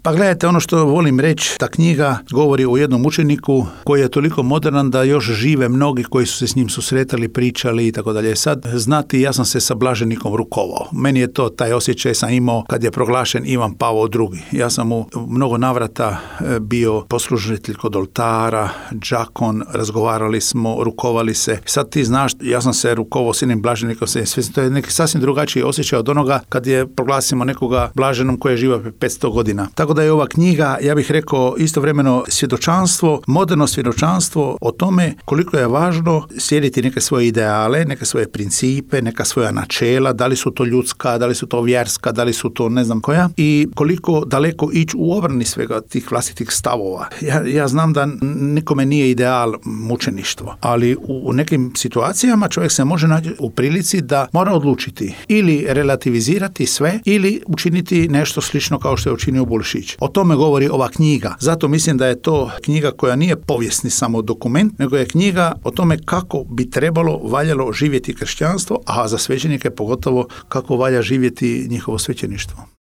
Pa gledajte, ono što volim reći, ta knjiga govori o jednom učeniku koji je toliko moderan da još žive mnogi koji su se s njim susretali, pričali i tako dalje. Sad, znati, ja sam se sa blaženikom rukovao. Meni je to, taj osjećaj sam imao kad je proglašen Ivan Pavao II. Ja sam u mnogo navrata bio poslužitelj kod oltara, džakon, razgovarali smo, rukovali se. Sad ti znaš, ja sam se rukovao s jednim blaženikom, to je neki sasvim drugačiji osjećaj od onoga kad je proglasimo nekoga blaženom koji je živio 500 godina. Tako da je ova knjiga, ja bih rekao, istovremeno svjedočanstvo, moderno svjedočanstvo o tome koliko je važno slijediti neke svoje ideale, neke svoje principe, neka svoja načela, da li su to ljudska, da li su to vjerska, da li su to ne znam koja, i koliko daleko ići u obrani svega tih vlastitih stavova. Ja znam da nikome nije ideal mučeništvo, ali u nekim situacijama čovjek se može naći u prilici da mora odlučiti ili relativizirati sve ili učiniti nešto slično kao što je učinio Bulešić. O tome govori ova knjiga. Zato mislim da je to knjiga koja nije povijesni samo dokument, nego je knjiga o tome kako bi trebalo, valjalo živjeti kršćanstvo, a za svećenike pogotovo kako valja živjeti njihovo svećeništvo.